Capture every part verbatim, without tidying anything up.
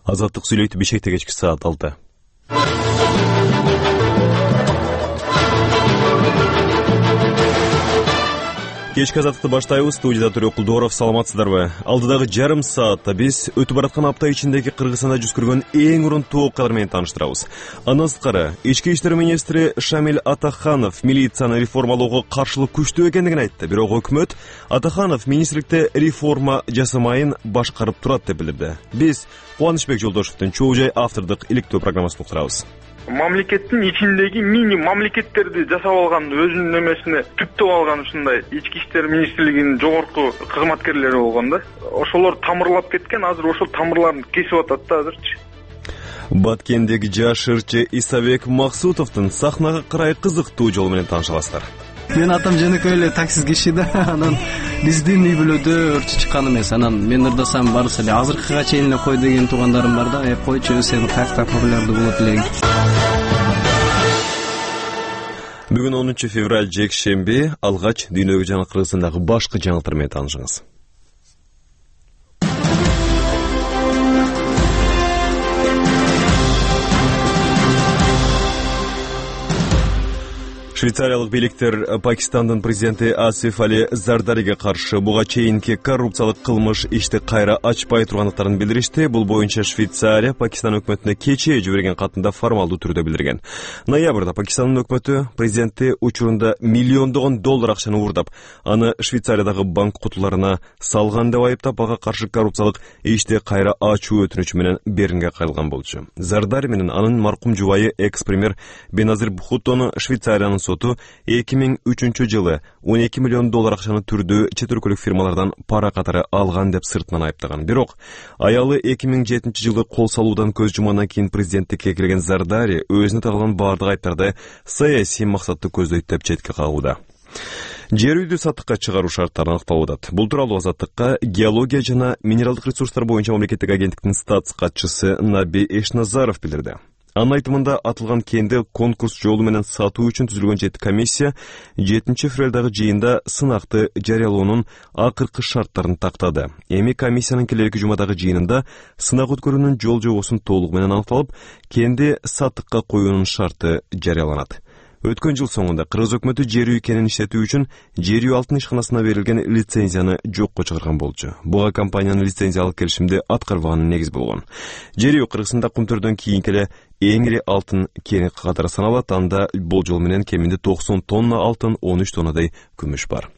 Азаттык сүйлөйт Бишкекте кечки саат алты. Кечки азаттыкты баштайбыз. Студияда Төрөк Кулдоров. Саламатсыздарбы? Алдыдагы жарым саатта биз өтүп бараткан апта ичиндеги Кыргызстанда жүз көргөн эң урунтуу окуялар менен тааныштырабыз. Андан сырткары ички иштер министри Шамил Атаханов милицияны реформалоого каршылык күчтүү экендигин айтты. Бирок өкмөт Атаханов министрликте реформа жасамайын башкарып турат деп билдирди. Биз Кубанычбек Жолдошевдин Чоо Жай автордук иликтөө программасын уктурабыз. Мамлекеттин ичиндеги мини мамлекеттерди жасап алган, өзүнүн немесине түптөп алган ушундай ички иштер министрлигинин жогорку кызматкерлери болгон да. Ошолор тамырлап кеткен, азыр ошол тамырларын кесип атат да азырчы. Баткендеги жаш ырчы Исабек Максутовдун сахнага карай кызыктуу жол менен тааныша аласыздар. Мен атам жөнөкөй эле таксист киши да, анан биздин үй бүлөдө ырчы чыккан эмес. Анан мен ырдасам барысы эле азыркыга чейин эле кой деген туугандарым бар да, э койчу сен каякта популярдуу болот элең. Бүгүн онунчу февраль жекшемби, алгач дүйнөгө жана Кыргызстандагы башкы жаңылыктар менен таанышыңыз. Швейцариялык бийликтер Пакистандын президенти Асиф Али Зардариге каршы буга чейинки коррупциялык кылмыш ишти кайра ачпай тургандыктарын билдиришти. Бул боюнча Швейцария Пакистан өкмөтүнө кечээ жиберген катында формалдуу түрдө билдирген. Ноябрда Пакистандын өкмөтү президенти учурунда миллиондогон доллар акчаны уурдап, аны Швейцариядагы банк кутуларына салган деп айыптап, ага каршы коррупциялык ишти кайра ачуу өтүнүчү менен беринге кайрылган болчу. Зардари менен анын маркум жубайы экс-премьер Беназир Бхуттону Швейцариянын соту эки миң үчүнчү жылы он эки миллион доллар акчаны түрдүү чет өлкөлүк фирмалардан пара катары алган деп сыртынан айыптаган. Бирок аялы эки миң жетинчи жылы кол салуудан көз жумгандан кийин президенттикке кирген Зардари өзүнө тагылган баардык айыптарды саясий максатты көздөйт деп четке кагууда. Жер үйдү сатыкка чыгаруу шарттары аныкталып атат. Бул тууралуу Азаттыкка геология жана минералдык ресурстар боюнча мамлекеттик агенттиктин статс катчысы Наби Эшназаров билдирди. Анын айтымында атылган кенди конкурс жолу менен сатуу үчүн түзүлгөн жети комиссия жетинчи февралдагы жыйында сынакты жарыялоонун акыркы шарттарын тактады. Эми комиссиянын келерки жумадагы жыйынында сынак өткөрүүнүн жол жобосун толугу менен аныкталып, кенди сатыкка коюунун шарты жарыяланат. Өткөн жыл соңунда Кыргыз өкмөтү жер үй кенин иштетүү үчүн жер үй алтын ишканасына берилген лицензияны жокко чыгарган болчу. Буга компаниянын лицензиялык келишимди аткарбаганы негиз болгон. Жер үй Кыргызстанда кумтөрдөн кийинки эле эң ири алтын кени катары саналат. Анда болжол менен кеминде токсон тонна алтын, он үч тоннадай күмүш бар.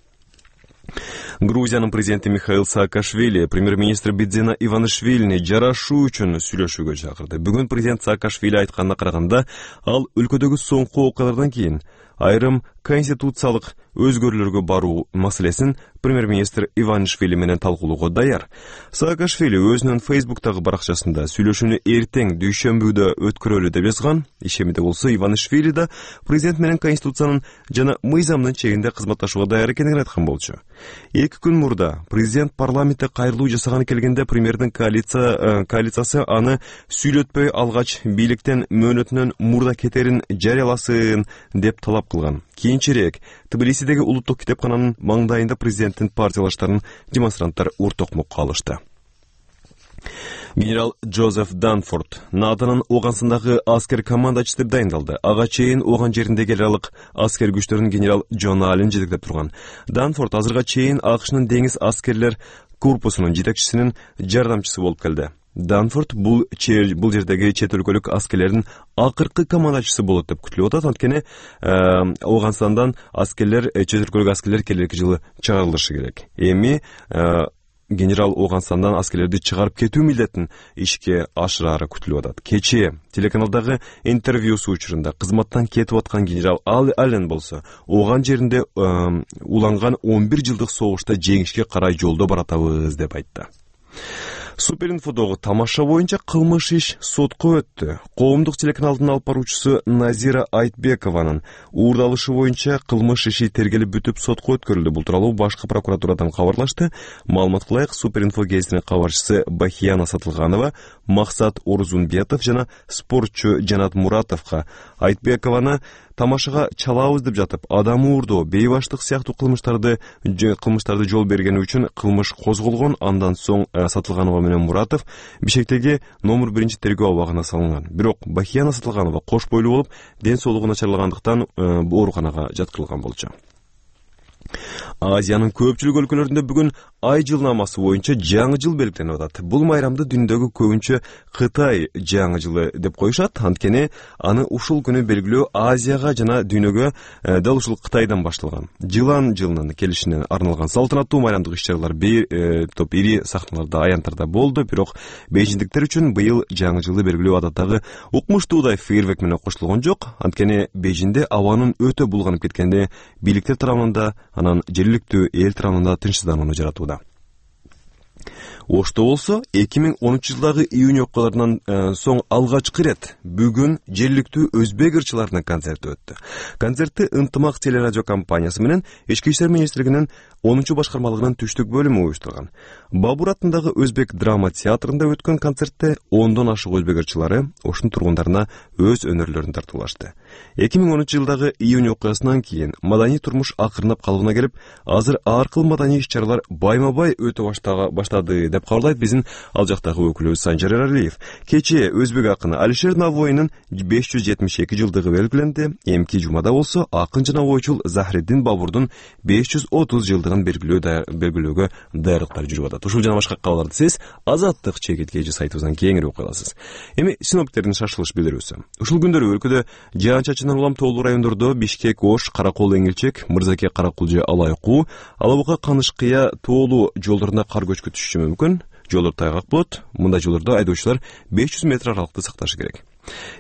Грузиянын президенти Михаил Саакашвили премьер-министр Бидзина Иванишвилини жарашуу үчүн сүйлөшүүгө чакырды. Бүгүн президент Саакашвили айтканына караганда, ал өлкөдөгү соңку окуялардан кийин айрым конституциялык өзгөрүүлөргө баруу маселесин премьер-министр Иванишвили менен талкуулоого даяр. Саакашвили өзүнүн Фейсбуктагы баракчасында сүйлөшүүнү эртең дүйшөмбүдө өткөрөлү деп жазган. Ишемиде болсо Иванишвили да президент менен конституциянын жана мыйзамдын чегинде кызматташууга даяр экенин айткан болчу. Эки күн мурда президент парламентте кайрылуу жасаганы келгенде премьердин коалиция коалициясы аны сүйлөтпөй алгач бийликтен мөөнөтүнөн мурда кетерин жарыяласын деп талап кылган. Кийинчерээк Тбилисидеги улуттук китепкананын маңдайында президенттин партиялаштарын демонстранттар уртокмокко алышты. Генерал Джозеф Данфорд Натанын Оганстандагы аскер командачысы деп дайындалды. Ага чейин Оган жериндеги эл аралык аскер күчтөрүн генерал Джон Аллен жетектеп турган. Данфорд азырга чейин АКШнын деңиз аскерлер корпусунун жетекчисинин жардамчысы болуп келди. Данфорд бул чер бул жердеги чет өлкөлүк аскерлердин акыркы командачысы болот деп күтүлүп атат. Анткени Оганстандан аскерлер, чет өлкөлүк аскерлер келерки жылы чыгарылышы керек. Эми генерал Оганстандан аскерлерди чыгарып кетүү милдетин ишке ашырары күтүлүп атат. Кечээ телеканалдагы интервьюсу учурунда кызматтан кетип аткан генерал Аллен болсо, Оган жеринде уланган он бир жылдык согушта жеңишке карай жолдо баратабыз деп айтты. Суперинфодогу тамаша боюнча кылмыш иш сотко өттү. Коомдук телеканалдын алып баруучусу Назира Айтбекованын уурдалышы боюнча кылмыш иши тергелип бүтүп сотко өткөрүлдү. Бул тууралуу башкы прокуратурадан кабарлашты. Маалымат кылайык, Суперинфо гезитинин кабарчысы Бахияна Сатылганова Максат Орузунбетов жана спортчу Жанат Муратовго Айтбекованы тамашага чалабыз деп жатып, адам уурдоо, бейбаштык сыяктуу кылмыштарды кылмыштарды жол бергени үчүн кылмыш козголгон. Андан соң Сатылганова менен Муратов Бишкектеги номер биринчи тергөө абагына салынган. Бирок Бахияна Сатылганова кош бойлуу болуп, ден соолугу начарлагандыктан ооруканага жаткырылган болчу. Азиянын көпчүлүк өлкөлөрүндө бүгүн ай жылнамасы боюнча жаңы жыл белгиленип атат. Бул майрамды дүйнөдөгү көбүнчө Кытай жаңы жылы деп коюшат. Анткени аны ушул күнү белгилөө Азияга жана дүйнөгө дал ушул Кытайдан башталган. Жылан жылынын келишине арналган салтанаттуу майрамдык иш-чаралар бир топ ири сахналарда, аянттарда болду. Бирок бейжиңдиктер үчүн быйыл жаңы жылды белгилөө адаттагы укмуштуудай фейерверк менен коштолгон жок. Анткени Бейжиңде абанын өтө булганып кеткенде бийликтер тарабынан да, анан жергиликтүү эл тарабынан да тынчсызданууну жаратууда. Ошто болсо эки миң онунчу жылдагы июнь окуяларынан соң алгачкы ирет бүгүн жергиликтүү өзбек ырчыларынын концерти өттү. Концертти Ынтымак телерадио компаниясы менен Ички иштер министрлигинин онунчу башкармалыгынын түштүк бөлүмү уюштурган. Бабур атындагы Өзбек драма театрында өткөн концертте ондон ашык өзбек ырчылары ошонун тургундарына өз өнөрлөрүн тартуулашты. эки миң онунчу жылдагы июнь окуясынан кийин маданий турмуш акырынап калыбына келип, азыр ар кыл маданий иш-чаралар байма-бай өтө баштады деп кабарлайт биздин ал жактагы өкүлүбүз Санжар Эралиев. Кечээ өзбек акыны Алишер Навоинин беш жүз жетимиш эки жылдыгы белгиленди. Эмки жумада болсо акын жана ойчул Захриддин Бабурдун беш жүз отуз жылдыгын белгилөөгө даярдыктар жүрүп атат. Ушул жана башка кабарларды сиз Азаттык чекит кежи сайтыбыздан кеңири окуй аласыз. Эми синоптиктердин шашылыш билдирүүсү. Ушул күндөрү өлкөдө жаан-чачындан улам тоолуу райондордо Бишкек, Ош, Каракол, Эңилчек, Мырзаке, Каракулжа, Алайкуу, Алабука, Канышкыя тоолуу жолдорунда кар көчкү түшүшү мүмкүн. Жолдор тайгак болот. Мындай жолдордо айдоочулар беш жүз метр аралыкты сакташы керек.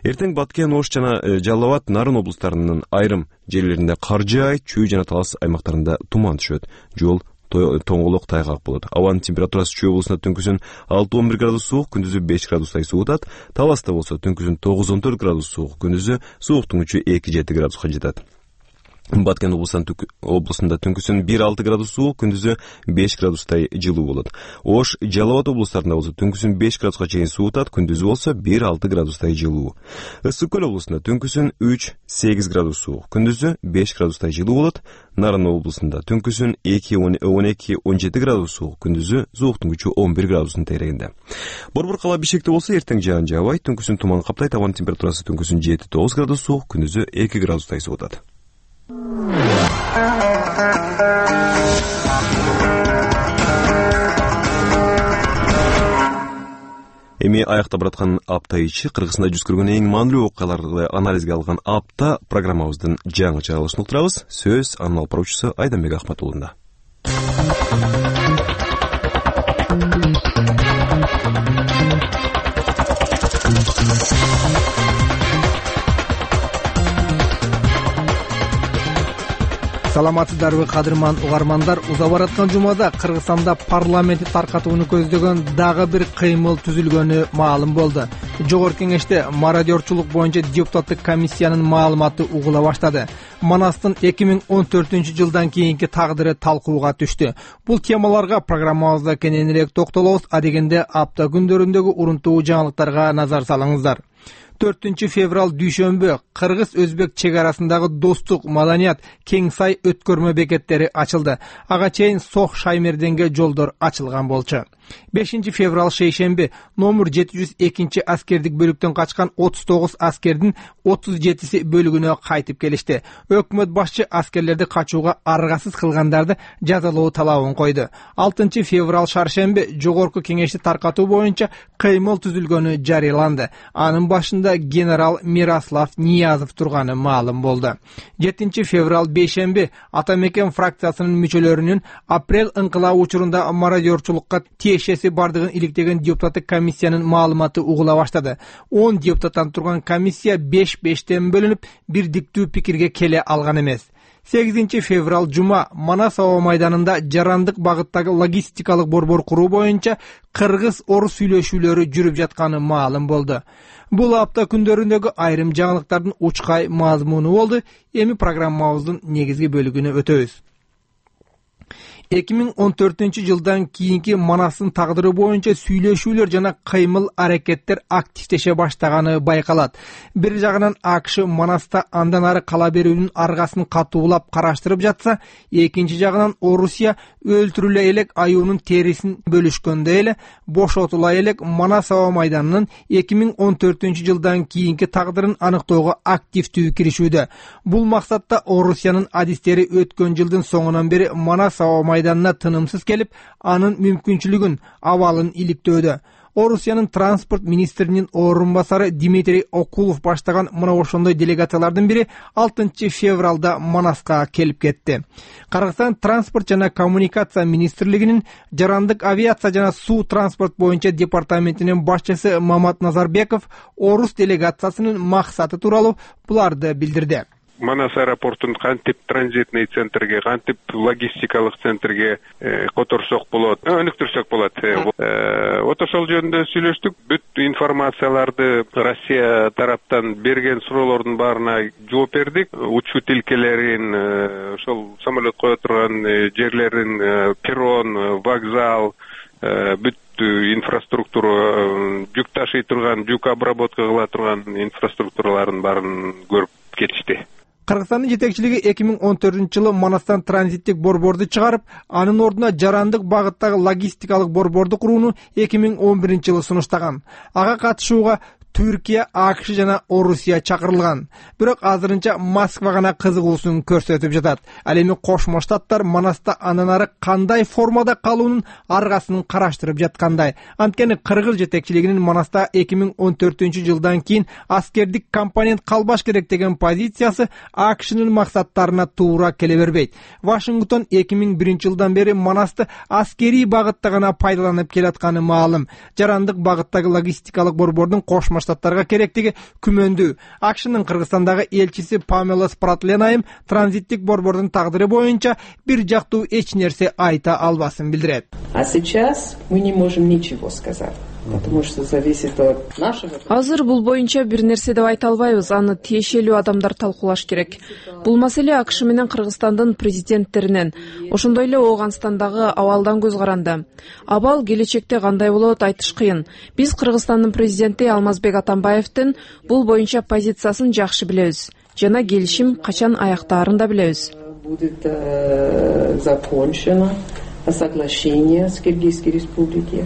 Эртең Баткен, Ош жана Жалал Абад, Нарын облустарынын айрым жерлеринде кар жаайт, Чүй жана Талас аймактарында туман түшөт. Жол тоңголок тайгак болот. Абанын температурасы Чүй облусунда түнкүсүн алты он бир градус суук, күндүзү беш градустай суутат. Таласта болсо түнкүсүн тогуз он төрт градус суук, күндүзү сууктук күчү эки жети градуска жетет. Баткен облусунда түнкүсүн бир алты градус суук, күндүзү беш градустай жылуу болот. Ош, Жалал Абад облустарында болсо түнкүсүн беш градуска чейин суутат, күндүзү болсо бир алты градустай жылуу. Ысык көл облусунда түнкүсүн үч сегиз градус суук, күндүзү беш градустай жылуу болот. Нарын облусунда түнкүсүн эки он эки он жети градус суук, күндүзү сууктук күчү он бир градустун тегерегинде. Борбор кала Бишкекте болсо эртең жаан жаабай, түнкүсүн туман каптайт, абанын температурасы түнкүсүн жети тогуз градус суук, күндүзү эки градустай суутат. Эми аякта бараткан апта ичи Кыргызстанда жүз көргөн эң маанилүү окуяларды анализге алган апта программабыздын жаңы чыгарылышын уктурабыз. Сөз анын алып баруучусу Айданбек Ахматуллунда. Саламатсыздарбы кадырман угармандар, уза бараткан жумада Кыргызстанда парламентти таркатууну көздөгөн дагы бир кыймыл түзүлгөнү маалым болду. Жогорку кеңеште мародерчулук боюнча депутаттык комиссиянын маалыматы угула баштады. Манастын эки миң он төртүнчү жылдан кийинки тагдыры талкууга түштү. Бул темаларга программабызда кененирээк токтолобуз, адегенде апта күндөрүндөгү урунтуу жаңылыктарга назар салыңыздар. төртүнчү февраль дүйшөмбү Кыргыз-Өзбек чек арасындагы достук, маданият, кең сай өткөрмө бекеттери ачылды. Ага чейин Сох Шаймерденге жолдор ачылган болчу. бешинчи февраль шейшемби номер жети жүз экинчи аскердик бөлүктөн качкан отуз тогуз аскердин отуз жетиси бөлүгүнө кайтып келишти. Өкмөт башчы аскерлерди качууга аргасыз кылгандарды жазалоо талабын койду. алтынчы февраль шаршемби жогорку кеңешти таркатуу боюнча кыймыл түзүлгөнү жарыяланды. Анын башында генерал Мирослав Ниязов турганы маалым болду. жетинчи февраль бейшемби Атамекен фракциясынын мүчөлөрүнүн апрель ыңкылабы учурунда мародерчулукка тиешеси бардыгын иликтеген депутаттык комиссиянын маалыматы угула баштады. он депутаттан турган комиссия беш бештен бөлүнүп, бирдиктүү пикирге келе алган эмес. сегизинчи февраль жума Манас аба майданында жарандык багыттагы логистикалык борбор куруу боюнча кыргыз-орус сүйлөшүүлөрү жүрүп жатканы маалым болду. Бул апта күндөрүндөгү айрым жаңылыктардын учкай мазмуну болду. Эми программабыздын негизги бөлүгүнө өтөбүз. эки миң он төртүнчү жылдан кийинки Манастын тагдыры боюнча сүйлөшүүлөр жана кыймыл аракеттер активдеше баштаганы байкалат. Бир жагынан АКШ Манаста андан ары кала берүүнүн аргасын катуулап караштырып жатса, экинчи жагынан Орусия өлтүрүлө элек аюунун терисин бөлүшкөндөй эле бошотула элек Манас аба майданынын эки миң он төртүнчү жылдан кийинки тагдырын аныктоого активдүү киришүүдө. Бул максатта Орусиянын адистери өткөн жылдын соңунан бери Манас аба майданына тынымсыз келип, анын мүмкүнчүлүгүн, абалын иликтөөдө. Орусиянын транспорт министринин орун басары Дмитрий Окулов баштаган мына ошондой делегациялардын бири алтынчы февралда Манаска келип кетти. Кыргызстан транспорт жана коммуникация министрлигинин жарандык авиация жана суу транспорт боюнча департаментинин башчысы Мамат Назарбеков орус делегациясынын максаты тууралуу буларды билдирди. Манас аэропортун кантип транзитный центрге, кантип логистикалык центрге которсок болот, өнүктүрсөк болот. Вот ошол жөнүндө сүйлөштүк. Бүт информацияларды Россия тараптан берген суроолордун баарына жооп бердик. Учуу тилкелерин, ошол самолет кое турган жерлерин, перрон, вокзал, бүт инфраструктура, жүк ташый турган, жүк обработка кыла турган инфраструктуралардын баарын көрүп кетишти. Кыргызстандын жетекчилиги эки миң он төртүнчү жылы Манастан транзиттик борборду чыгарып, анын ордуна жарандык багыттагы логистикалык борборду курууну эки миң он биринчи жылы сунуштаган. Ага катышууга Түркия, АКШ жана Орусия чакырылган. Бирок азырынча Москва гана кызыгуусун көрсөтүп жатат. Ал эми Кошмо Штаттар Манаста андан ары кандай формада калуунун аргасын караштырып жаткандай. Анткени кыргыз жетекчилигинин Манаста эки миң он төртүнчү жылдан кийин аскердик компонент калбаш керек деген позициясы АКШнын максаттарына туура келе бербейт. Вашингтон эки миң биринчи жылдан бери Манасты аскерий багытта гана пайдаланып келатканы маалым. Жарандык багыттагы логистикалык борбордун Кошмо Штаттарга керектиги күмөндүү. АКШнын Кыргызстандагы элчиси Памела Спратлен транзиттик борбордун тагдыры боюнча бир жактуу эч нерсе айта албасын билдирет. А сейчас мы не можем ничего сказать. Потому что зависит от нашего. Азыр бул боюнча бир нерсе деп айта албайбыз, аны тиешелүү адамдар талкуулаш керек. Бул маселе АКШ менен Кыргызстандын президенттеринен, ошондой эле Ооганстандагы абалдан көз каранды. Абал келечекте кандай болот айтыш кыйын. Биз Кыргызстандын президенти Алмазбек Атамбаевдин бул боюнча позициясын жакшы билебиз жана келишим качан аяктаарын да билебиз. Будет закончено соглашение с Киргизской республикой.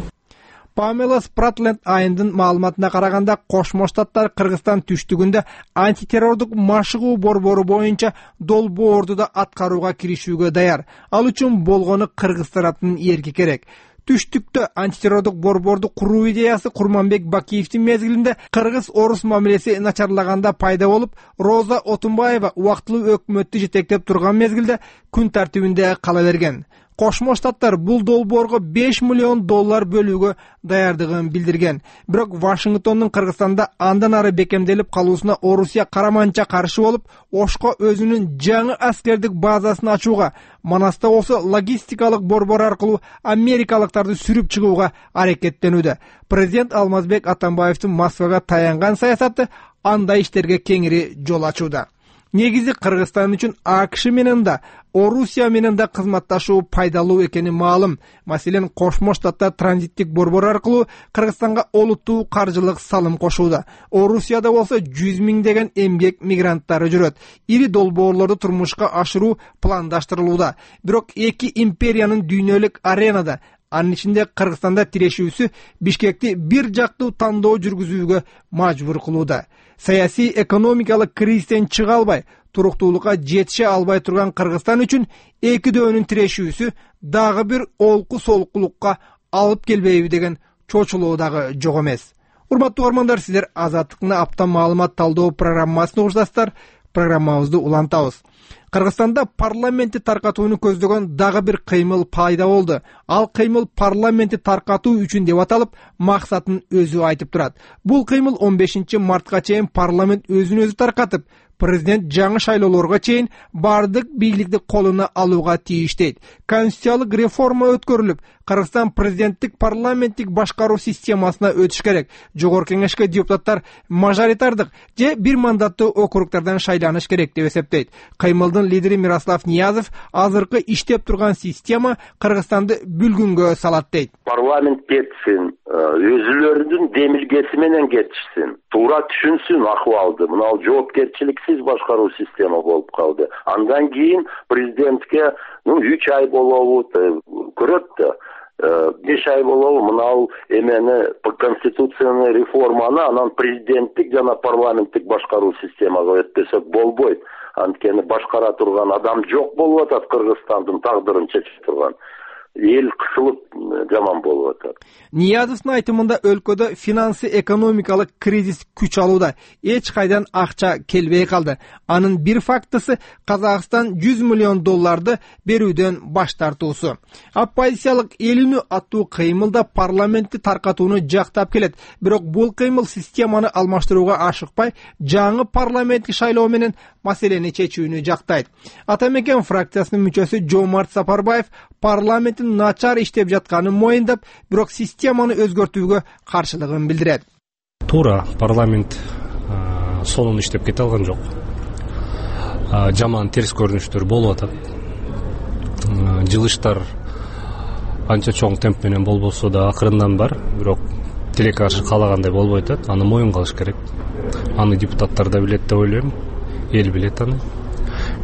Памела Спратленд айындын маалыматына караганда, Кошмо Штаттар Кыргызстан түштүгүндө антитеррордук машыгуу борбору боюнча долбоорду да аткарууга киришүүгө даяр. Ал үчүн болгону Кыргыз тараптын эрки керек. Түштүктө антитеррордук борборду куруу идеясы Курманбек Бакиевдин мезгилинде кыргыз-орус мамилеси начарлаганда пайда болуп, Роза Отунбаева убактылуу өкмөттү жетектеп турган мезгилде күн тартибинде кала берген. Кошмо Штаттар бул долбоорго беш миллион доллар бөлүүгө даярдыгын билдирген. Бирок Вашингтондун Кыргызстанда андан ары бекемделип калуусуна Орусия караманча каршы болуп, Ошко өзүнүн жаңы аскердик базасын ачууга, Манаста болсо логистикалык борбор аркылуу америкалыктарды сүрүп чыгууга аракеттенүүдө. Президент Алмазбек Атамбаевдин Москвага таянган саясаты андай иштерге кеңири жол ачууда. Негизи Кыргызстан үчүн АКШ менен да, Орусия менен да кызматташуу пайдалуу экени маалым. Маселен, Кошмо Штаттар транзиттик борбор аркылуу Кыргызстанга олуттуу каржылык салым кошууда. Орусияда болсо жүз миңдеген эмгек мигранттары жүрөт. Ири долбоорлорду турмушка ашыруу пландаштырылууда. Бирок эки империянын дүйнөлүк аренада, анын ичинде Кыргызстанда тирешүүсү Бишкекти бир жактуу тандоо жүргүзүүгө мажбур кылууда. Саясий экономикалык кризистен чыга албай, туруктуулукка жетише албай турган Кыргызстан үчүн эки дөөнүн тирешүүсү дагы бир олку солкулукка алып келбейби деген чочулоо дагы жок эмес. Урматтуу угармандар, сиздер Азаттыктын апта маалымат талдоо программасын угушасыздар. Программабызды улантабыз. Кыргызстанда парламентти таркатууну көздөгөн дагы бир кыймыл пайда болду. Ал кыймыл парламентти таркатуу үчүн деп аталып, максатын өзү айтып турат. Бул кыймыл он бешинчи мартка чейин парламент өзүн өзү таркатып, президент жаңы шайлоолорго чейин бардык бийликти колуна алууга тийиштейт. Конституциялык реформа өткөрүлүп, Кыргызстан президенттик парламенттик башкаруу системасына өтүш керек. Жогорку кеңешке депутаттар мажоритардык же бир мандаттуу округдардан шайланыш керек деп эсептейт. Кыймылдын партиянын лидери Мирослав Ниязов азыркы иштеп турган система Кыргызстанды бүлгүнгө салат дейт. Парламент кетсин, өзүлөрүнүн демилгеси менен кетишсин, туура түшүнсүн акыбалды. Мына жоопкерчиликсиз башкаруу система болуп калды. Андан кийин президентке ну үч ай болобу көрөт да. беш ай болобу мына эмени конституцияны реформаны анан президенттик жана парламенттик башкаруу системага өтпөсөк болбойт. Анткени башкара турган адам жок болуп атат, Кыргызстандын тагдырын чечип турган. Эл кысылып жаман болуп атат. Ниязовдун айтымында өлкөдө финансы экономикалык кризис күч алууда. Эч кайдан акча келбей калды. Анын бир фактысы Казакстан жүз миллион долларды берүүдөн баш тартуусу. Оппозициялык эл үнү аттуу кыймылда парламентти таркатууну жактап келет. Бирок бул кыймыл системаны алмаштырууга ашыкпай, жаңы парламенттик шайлоо менен маселени чечүүнү жактайт. Атамекен фракциясынын мүчөсү Жомарт Сапарбаев парламенттин начар иштеп жатканын моюндап, бирок системаны өзгөртүүгө каршылыгын билдирет. Туура, парламент сонун иштеп кете алган жок. Жаман терс көрүнүштөр болуп атат. Жылыштар анча чоң темп менен болбосо да акырындан бар, бирок тилекке каршы каалагандай болбой атат. Аны моюнга алыш керек. Аны депутаттар да билет деп ойлойм. Эл билет аны.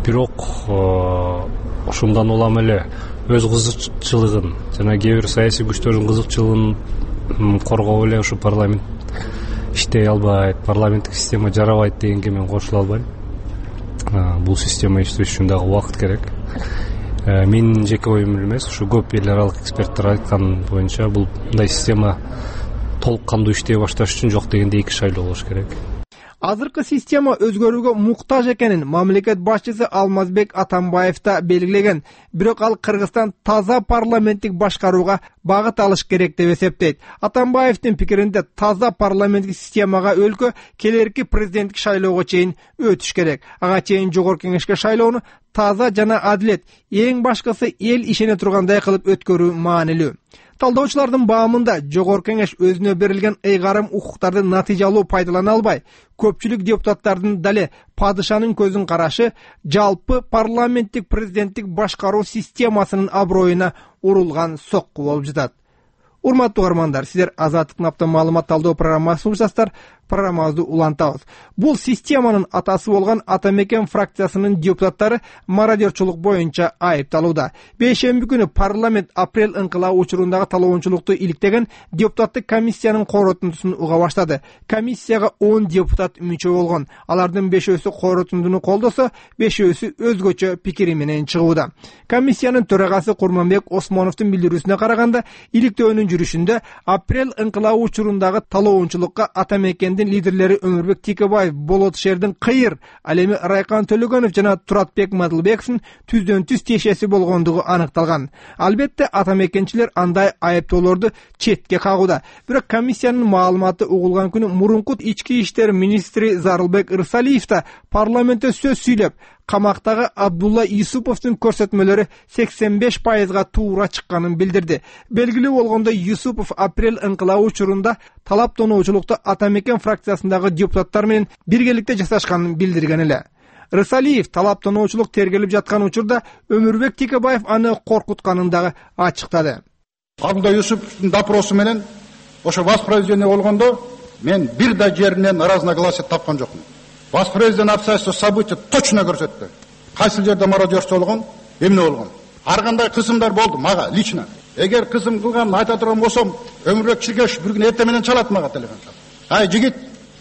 Бирок ошондон улам эле өз кызыкчылыгын жана кээ бир саясий күчтөрдүн кызыкчылыгын коргоп эле ушу парламент иштей албайт, парламенттик система жарабайт дегенге мен кошула албайм. Бул система иштеш үчүн дагы убакыт керек. Менин жеке оюм эмес, ушу көп эл аралык эксперттер айткан боюнча бул мындай система толук кандуу иштей башташ үчүн жок дегенде эки шайлоо болуш керек. Азыркы система өзгөрүүгө муктаж экенин мамлекет башчысы Алмазбек Атамбаев да белгилеген. Бирок ал Кыргызстан таза парламенттик башкарууга багыт алыш керек деп эсептейт. Атамбаевдин пикиринде таза парламенттик системага өлкө келерки президенттик шайлоого чейин өтүш керек. Ага чейин жогорку кеңешке шайлоону таза жана адилет, эң башкысы эл ишене тургандай кылып өткөрүү маанилүү. Талдоочулардын баамында жогорку кеңеш өзүнө берилген ыйгарым укуктарды натыйжалуу пайдалана албай, көпчүлүк депутаттардын дале падышанын көзүн карашы жалпы парламенттик президенттик башкаруу системасынын аброюна урулган сокку болуп жатат. Урматтуу угармандар, сиздер Азаттык наптан маалымат талдоо программасын угушасыздар. Программабызды улантабыз. Бул системанын атасы болгон Атамекен фракциясынын депутаттары мародерчулук боюнча айыпталууда. Бейшемби күнү парламент апрель ыңкылаа учурундагы талоончулукту иликтеген депутаттык комиссиянын коротундусун уга баштады. Комиссияга он депутат мүчө болгон. Алардын бешөөсү коротундуну колдосо, бешөөсү өзгөчө пикири менен чыгууда. Комиссиянын төрагасы Курманбек Осмоновдун билдирүүсүнө караганда, иликтөөнүн жүрүшүндө апрель ыңкылаа учурундагы талоончулукка Атамекендин лидерлери Өмүрбек Текебаев, Болот Шердин Кыйыр, ал эми Райкан Төлөгөнов жана Туратбек Мадылбековдун түздөн түз тиешеси болгондугу аныкталган. Албетте Атамекенчилер андай айыптоолорду четке кагууда. Бирок комиссиянын маалыматы угулган күнү мурунку ички иштер министри Зарылбек Ырсалиев да парламентте сөз сүйлөп, камактагы Абдулла Юсуповдун көрсөтмөлөрү сексен беш пайызга туура чыкканын билдирди. Белгилүү болгондой, Юсупов апрель ыңкылаа учурунда талаптоноочулукту Атамекен фракциясындагы депутаттар менен биргеликте жасашканын билдирген эле. Рысалиев талаптоноочулук тергелип жаткан учурда Өмүрбек Текебаев аны коркутканын дагы ачыктады. Абдулла Юсуповдун допросу менен ошо воспроизведение болгондо мен бир да жеринен разногласие тапкан жокмун. Воспроизведение обстоятельства событий точно көрсөттү. Кайсы жерде мародерство болгон, эмне болгон. Ар кандай кысымдар болду мага лично. Эгер кысым кылганын айта турган болсом, Өмүрбек Чиркешев бир күн эртең менен чалат мага телефон чалып. Ай жигит,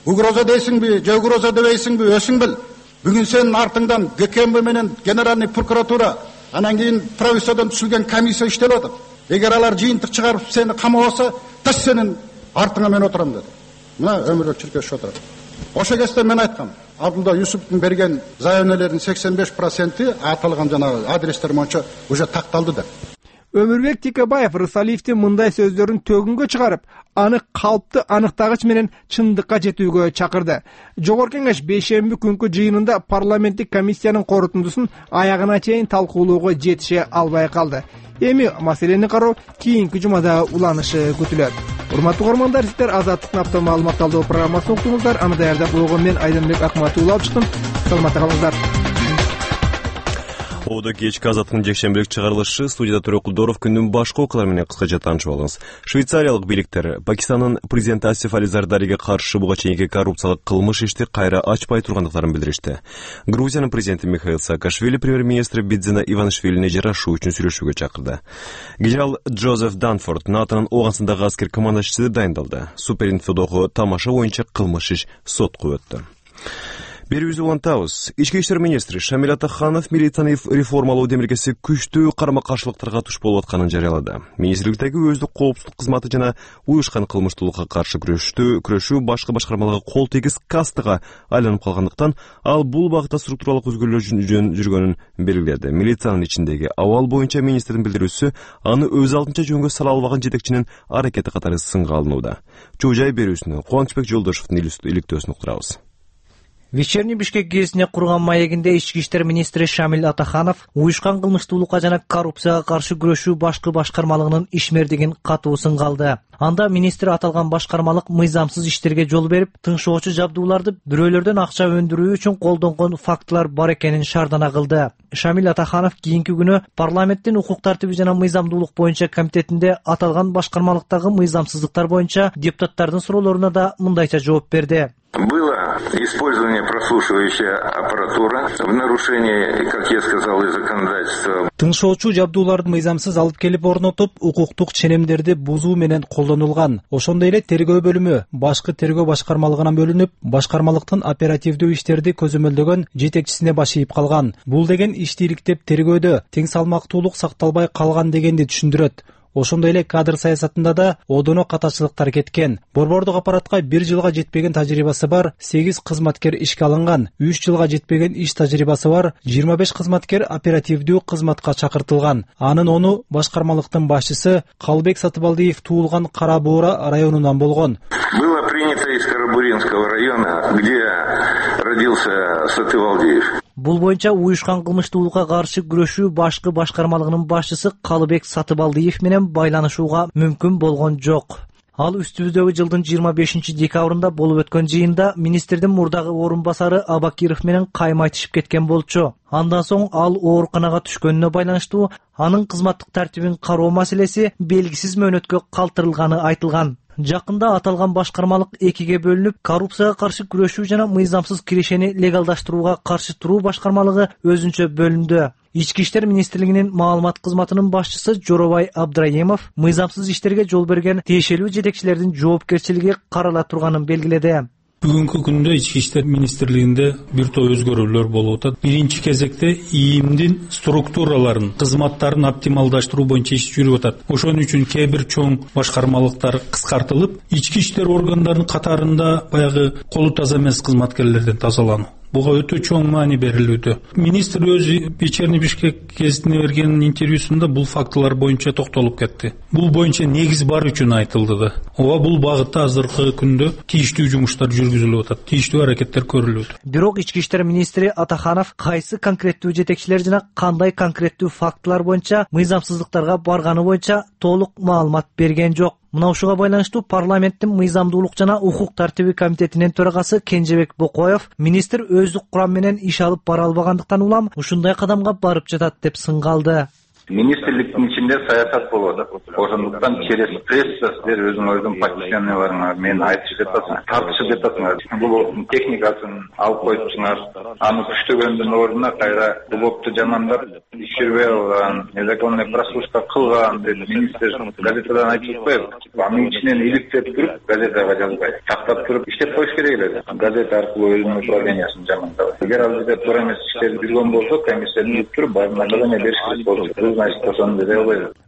угроза дейсиңби, же угроза дебейсиңби, өзүң бил. Бүгүн сенин артыңдан ГКМБ менен генеральный прокуратура, анан кийин правительстводон түзүлгөн комиссия иштеп атат. Эгер алар жыйынтык чыгарып сени камабаса, таш сенин артыңа мен отурам деди. Мына Өмүрбек Чиркешев отурат. Ошо кезде мен айткам, Абдулла Юсуповдун берген заявленелердин сексен беш проценти аталган жанагы адрестер боюнча уже такталды деп. Өмүрбек Текебаев Рысалиевдин мындай сөздөрүн төгүнгө чыгарып, аны калпты аныктагыч менен чындыкка жетүүгө чакырды. Жогорку кеңеш бейшемби күнкү жыйынында парламенттик комиссиянын корутундусун аягына чейин талкуулоого жетише албай калды. Эми маселени кароо кийинки жумада уланышы күтүлөт. Урматтуу угармандар, сиздер Азаттык наптан маалымат талдоо программасын уктуңуздар. Аны даярдап болгон мен Айдынбек Акматулла алып чыктым. Саламатта калыңыздар. Оодо кечки азаттыктын жекшембилик чыгарылышы. Студияда Төрө Кулдоров. Күндүн башка окуялары менен кыскача таанышып алыңыз. Швейцариялык бийликтер Пакистандын президенти Асиф Али Зардариге каршы буга чейинки коррупциялык кылмыш ишти кайра ачпай тургандыктарын билдиришти. Грузиянын президенти Михаил Саакашвили премьер-министри Бидзина Иванишвилини жарашуу үчүн сүйлөшүүгө чакырды. Генерал Джозеф Данфорд НАТОнун Ооганстандагы аскер командачысы дайындалды. Суперинфодогу тамаша боюнча кылмыш иш сотко өттү. Берүүбүздү улантабыз. Ички иштер министри Шамил Атаханов милицияны реформалоо демилгеси күчтүү карама-каршылыктарга туш болуп атканын жарыялады. Министрликтеги өздүк коопсуздук кызматы жана уюшкан кылмыштуулукка каршы күрөштү, күрөшүү башка башкармаларга кол тийгиз кастыга айланып калгандыктан ал бул багытта структуралык өзгөрүүлөр жүргөнүн белгиледи. Милициянын ичиндеги абал боюнча министрдин билдирүүсү аны өз алдынча жөнгө сала албаган жетекчинин аракети катары сынга алынууда. Чоо жай берүүсүнө Кубанычбек Жолдошовдун иликтөөсүн уктурабыз. Вечерний Бишкек гезитине курган маегинде ички иштер министри Шамил Атаханов уюшкан кылмыштуулукка жана коррупцияга каршы күрөшүү башкы башкармалыгынын ишмердигин катуу сынга алды. Анда министр аталган башкармалык мыйзамсыз иштерге жол берип, тыңшоочу жабдууларды бирөөлөрдөн акча өндүрүү үчүн колдонгон фактылар бар экенин шаардана кылды. Шамил Атаханов кийинки күнү парламенттин укук тартиби жана мыйзамдуулук боюнча комитетинде аталган башкармалыктагы мыйзамсыздыктар боюнча депутаттардын суроолоруна да мындайча жооп берди. Было использование прослушивающей аппаратуры в нарушении, как я сказал, и законодательства. Тыңшоочу жабдууларды мыйзамсыз алып келип орнотуп, укуктук ченемдерди бузуу менен колдонулган. Ошондой эле тергөө бөлүмү башкы тергөө башкармалыгынан бөлүнүп, башкармалыктын оперативдүү иштерди көзөмөлдөгөн жетекчисине баш ийип калган. Бул деген ишти иликтеп тергөөдө тең салмактуулук сакталбай калган дегенди түшүндүрөт. Ошондой эле кадр саясатында да одоно катачылыктар кеткен. Борбордук аппаратка бир жылга жетпеген тажрыйбасы бар сегиз кызматкер ишке алынган. үч жылга жетпеген иш тажрыйбасы бар жыйырма беш кызматкер оперативдүү кызматка чакыртылган. Анын ону башкармалыктын башчысы Калбек Сатыбалдиев туулган Кара Буура районунан болгон. Было принято из Карабуринского района, где родился Сатыбалдиев. Бул боюнча уюшкан кылмыштуулукка каршы күрөшүү башкы башкармалыгынын башчысы Калыбек Сатыбалдиев менен байланышууга мүмкүн болгон жок. Ал үстүбүздөгү жылдын жыйырма бешинчи декабрында болуп өткөн жыйында министрдин мурдагы орун басары Абакиров менен кайма айтышып кеткен болчу. Андан соң ал ооруканага түшкөнүнө байланыштуу анын кызматтык тартибин кароо маселеси белгисиз мөөнөткө калтырылганы айтылган. Жакында аталган башкармалык экиге бөлүнүп, коррупцияга каршы күрөшүү жана мыйзамсыз киришени легалдаштырууга каршы туруу башкармалыгы өзүнчө бөлүндү. Ички иштер министрлигинин маалымат кызматынын башчысы Жоробай Абдраимов мыйзамсыз иштерге жол берген тиешелүү жетекчилердин жоопкерчилиги карала турганын белгиледи. Бүгүнкү күндө ички иштер министрлигинде бир топ өзгөрүүлөр болуп атат. Биринчи кезекте ИИМдин структураларын, кызматтарын оптималдаштыруу боюнча иш жүрүп атат. Ошон үчүн кээ бир чоң башкармалыктар кыскартылып, ички иштер органдарынын катарында баягы колу таза эмес кызматкерлерден тазалануу. Буга өтө чоң маани берилүүдө. Министр өзү Вечерний Бишкек гезитине берген интервьюсунда бул фактылар боюнча токтолуп кетти. Бул боюнча негиз бар үчүн айтылды да. Ооба бул багытта азыркы күндө тийиштүү жумуштар жүргүзүлүп атат. Тийиштүү аракеттер көрүлүүдө. Бирок ички иштер министри Атаханов кайсы конкреттүү жетекчилер жана кандай конкреттүү фактылар боюнча мыйзамсыздыктарга барганы боюнча толук маалымат берген жок. Мына ушуга байланыштуу парламенттин мыйзамдуулук жана укук тартиби комитетинин төрагасы Кенжебек Бокоев министр өздүк курам менен иш алып бара албагандыктан улам ушундай кадамга барып жатат деп сынга алды. Министрликтин ичинде саясат болуп атат. Ошондуктан через пресса силер өзүңөрдүн позиционерлериңер менен айтышып жатасыңар, тартышып жатасыңар. Бул техникасын алып коюпсуңар. Аны күчтөгөндүн ордуна кайра блокту жамандап, иш жүрбөй алган, незаконный прослушка кылган деп министр газетадан айтып атпайбы? Анын ичинен иликтеп туруп, газетага жазбай, тактап туруп иштеп коюш керек эле. Газета аркылуу өзүнүн управлениясын жамандабай. Эгер ал жерде туура эмес иштер жүргөн болсо, комиссияны илип туруп, баарын наказание бериш керек болчу.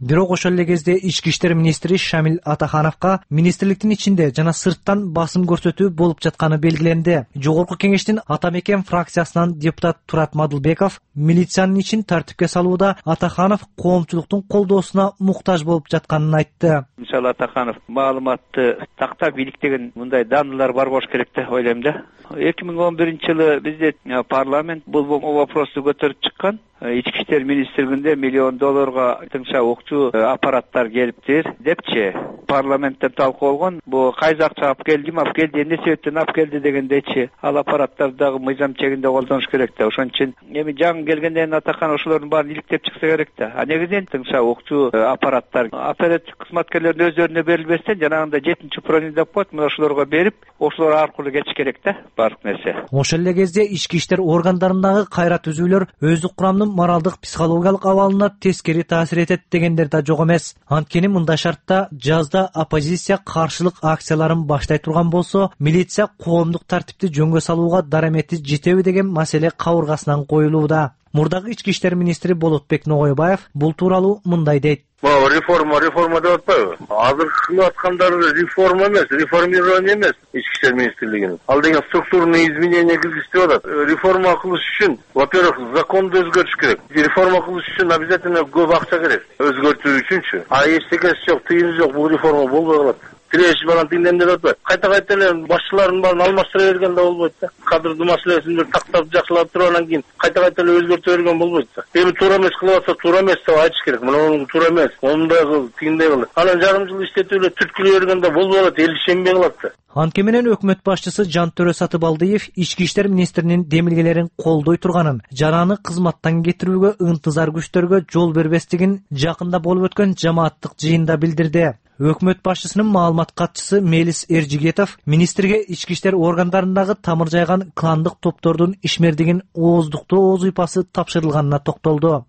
Бирок ошол эле кезде ички иштер министри Шамил Атахановго министрликтин ичинде жана сырттан басым көрсөтүү болуп жатканы белгиленди. Жогорку кеңештин Ата Мекен фракциясынан депутат Турат Мадылбеков милициянын ичин тартипке салууда Атаханов коомчулуктун колдоосуна муктаж болуп жатканын айтты. Мисалы Атаханов маалыматты тактап иликтеген мындай данылар бар болуш керек деп ойлойм да. эки миң он биринчи жылы бизде парламент бул вопросту көтөрүп чыккан. Ички иштер министрлигинде миллион долларга тыңша укчу аппараттар келиптир депчи парламентте талкуу болгон. Бу кайсы акча алып келди, алып келди, эмне себептен алып келди дегендечи ал аппараттарды дагы мыйзам чегинде колдонуш керек да. Ошон үчүн эми жаңы келгенден Атакан ошолордун баарын иликтеп чыкса керек да. А негизинен тыңша укчу аппараттар оператив кызматкерлердин өздөрүнө берилбестен жанагындай жетинчи управление деп коет, мына ошолорго берип, ошолор аркылуу кетиш керек да баардык нерсе. Ошол эле кезде ички иштер органдарындагы кайра түзүүлөр өздүк курамдын моралдык психологиялык абалына тескери таасир этет дегендер да жок эмес. Анткени мындай шартта жазда оппозиция каршылык акцияларын баштай турган болсо, милиция коомдук тартипти жөнгө салууга дарамети жетеби деген маселе кабыргасынан коюлууда. Мурдагы ички иштер министри Болотбек Ногойбаев бул тууралуу мындай дейт. Могу реформа, реформа деп атпайбы? Азыр кылып аткандар реформа эмес, реформирование эмес ички иштер министрлигинин. Ал деген структурный изменения киргизип деп атат. Реформа кылыш үчүн, во-первых, законду өзгөртүш керек. Реформа кылыш үчүн обязательно көп акча керек. Өзгөртүү үчүнчү. А эчтекеси жок, тыйыны жок, бул реформа болбой калат. Тирешип анан тиңден деп атпайбы? Кайта кайта эле башчылардын баарын алмаштыра берген да болбойт да. Кадрдын маселесин бир тактап жакшылап туруп анан кийин кайта кайта эле өзгөртө берген болбойт да. Эми туура эмес кылып атса, туура эмес деп айтыш керек. Мына туура эмес, мондай кыл, тигиндей кыл. Анан жарым жыл иштетип эле түрткүлөй бергенде болбой калат, эл ишенбей калат да. Анткени менен өкмөт башчысы Жантөрө Сатыбалдиев ички иштер министринин демилгелерин колдой турганын жана аны кызматтан кетирүүгө ынтызар күчтөргө жол бербестигин жакында болуп өткөн жамааттык жыйында билдирди. Өкмөт башчысынын маалымат катчысы Мелис Эржигетов министрге ички иштер органдарындагы тамыр жайган кландык топтордун ишмердигин ооздуктоо ооз уйпасы тапшырылганына токтолду.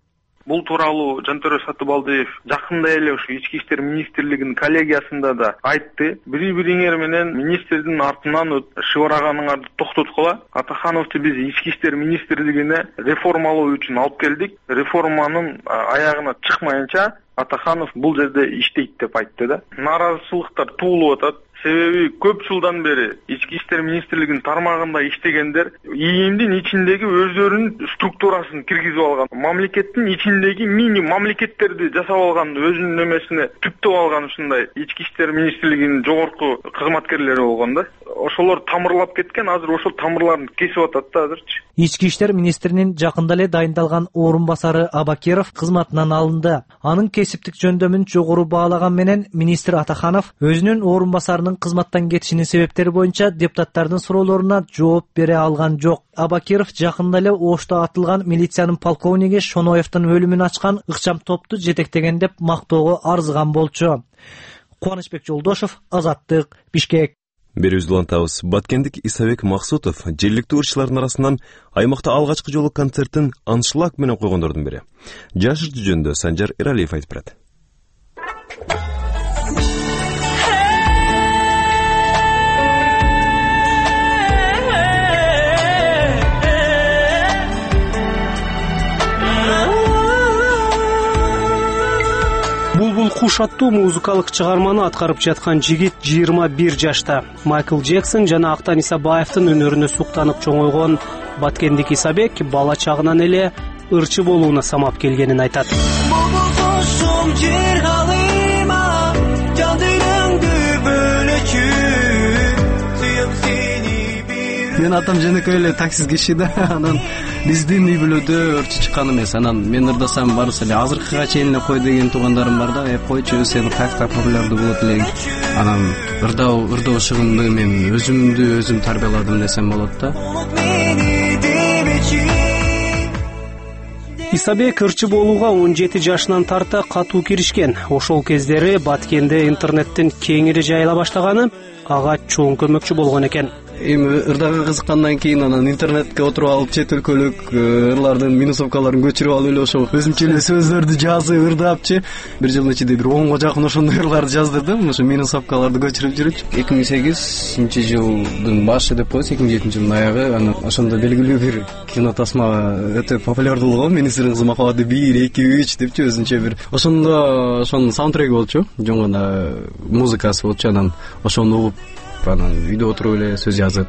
Бул тууралуу Жантөрө Сатыбалдиев жакында эле ушу ички иштер министрлигинин коллегиясында да айтты. Бири-бириңер менен министрдин артынан шыбыраганыңарды токтоткула. Атахановду биз ички иштер министрлигине реформалоо үчүн алып келдик. Реформанын аягына чыкмайынча Атаханов бул жерде иштейт деп айтты да. Нааразычылыктар туулуп атат. Себеби көп жылдан бери ички иштер министрлигинин тармагында иштегендер ИИМдин ичиндеги өздөрүнүн структурасын киргизип алган. Мамлекеттин ичиндеги мини мамлекеттерди жасап алган, өзүнүн немесине түптөп алган ушундай ички иштер министрлигинин жогорку кызматкерлери болгон да. Ошолор тамырлап кеткен, азыр ошол тамырларын кесип атат да азырчы. Ички иштер министринин жакында эле дайындалган орун басары Абакиров кызматынан алынды. Анын кесиптик жөндөмүн жогору баалаган менен министр Атаханов өзүнүн орун басарынын кызматтан кетишинин себептери боюнча депутаттардын суроолоруна жооп бере алган жок. Абакиров жакында эле Ошто атылган милициянын полковниги Шоноевдин өлүмүн ачкан ыкчам топту жетектеген деп мактоого арзыган болчу. Кубанычбек Жолдошев, Азаттык, Бишкек. Берүүбүздү улантабыз. Баткендик Исабек Максутов жергиликтүү ырчылардын арасынан аймакта алгачкы жолу концертин аншлаг менен койгондордун бири. Жашыр жөнүндө Санжар Эралиев айтып берет. Булбул куш аттуу музыкалык чыгарманы аткарып жаткан жигит жыйырма бир жашта. Майкл Джексон жана Актан Исабаевдин өнөрүнө суктанып чоңойгон Баткендик Исабек бала чагынан эле ырчы болууна самап келгенин айтат. Мен атам жөнөкөй эле таксист киши да, анан биздин үй бүлөдө ырчы чыккан эмес. Анан мен ырдасам барысы эле азыркыга чейин эле кой деген туугандарым бар да, э койчу сен каяктан популярдуу болот элең. Анан ырдоо ырдоо шыгымды мен өзүмдү өзүм тарбияладым десем болот да. Исабек ырчы болууга он жети жашынан тарта катуу киришкен. Ошол кездери Баткенде интернеттин кеңири жайыла баштаганы ага чоң көмөкчү болгон экен. Эми ырдага кызыккандан кийин анан интернетке отуруп алып чет өлкөлүк ырлардын минусовкаларын көчүрүп алып эле ошо өзүмчө эле сөздөрдү жазып ырдапчы. Бир жылдын ичинде бир онго жакын ошондой ырларды жаздырдым. Ошо минусовкаларды көчүрүп жүрүп эки миң сегизинчи жылдын башы деп коебуз, эки миң жетинчи жылдын аягы. Анан ошондо белгилүү бир кино тасма өтө популярдуу болгон. Менин кызым махабаты бир, эки, үч депчи өзүнчө бир. Ошондо ошонун саундтреки болчу, жөн гана музыкасы болчу. Анан ошону угуп анан үйдө отуруп эле сөз жазып.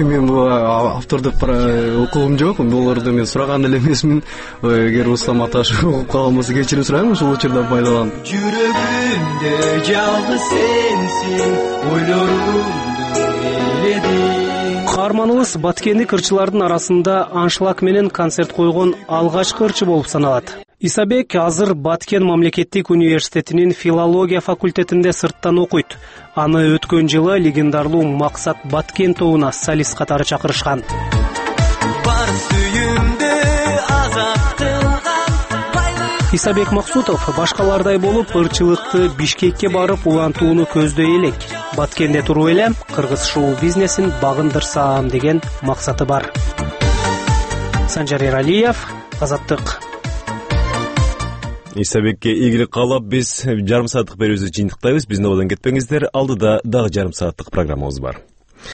Мен бул автордук укугум жок, буларды мен сураган эле эмесмин. Эгер Руслан Аташев угуп калган болсо кечирим сурайм, ошол учурдан пайдаланып. Жүрөгүмдө жалгыз сенсиң, ойлорумду эледиң. Каарманыбыз Баткендик ырчылардын арасында аншлаг менен концерт койгон алгачкы ырчы болуп саналат. Исабек азыр Баткен мамлекеттик университетинин филология факультетинде сырттан окуйт. Аны өткөн жылы легендарлуу Максат Баткен тобуна солист катары чакырышкан. Бар сүйүмдү азат кылган Исабек Максутов башкалардай болуп ырчылыкты Бишкекке барып улантууну көздөй элек. Баткенде туруп эле кыргыз шоу-бизнесин багындырсам деген максаты бар. Санжар Эралиев, Азаттык. Исабекке ийгилик каалап биз жарым сааттык берүүбүздү жыйынтыктайбыз. Биздин абалдан кетпеңиздер. Алдыда дагы жарым сааттык программабыз бар.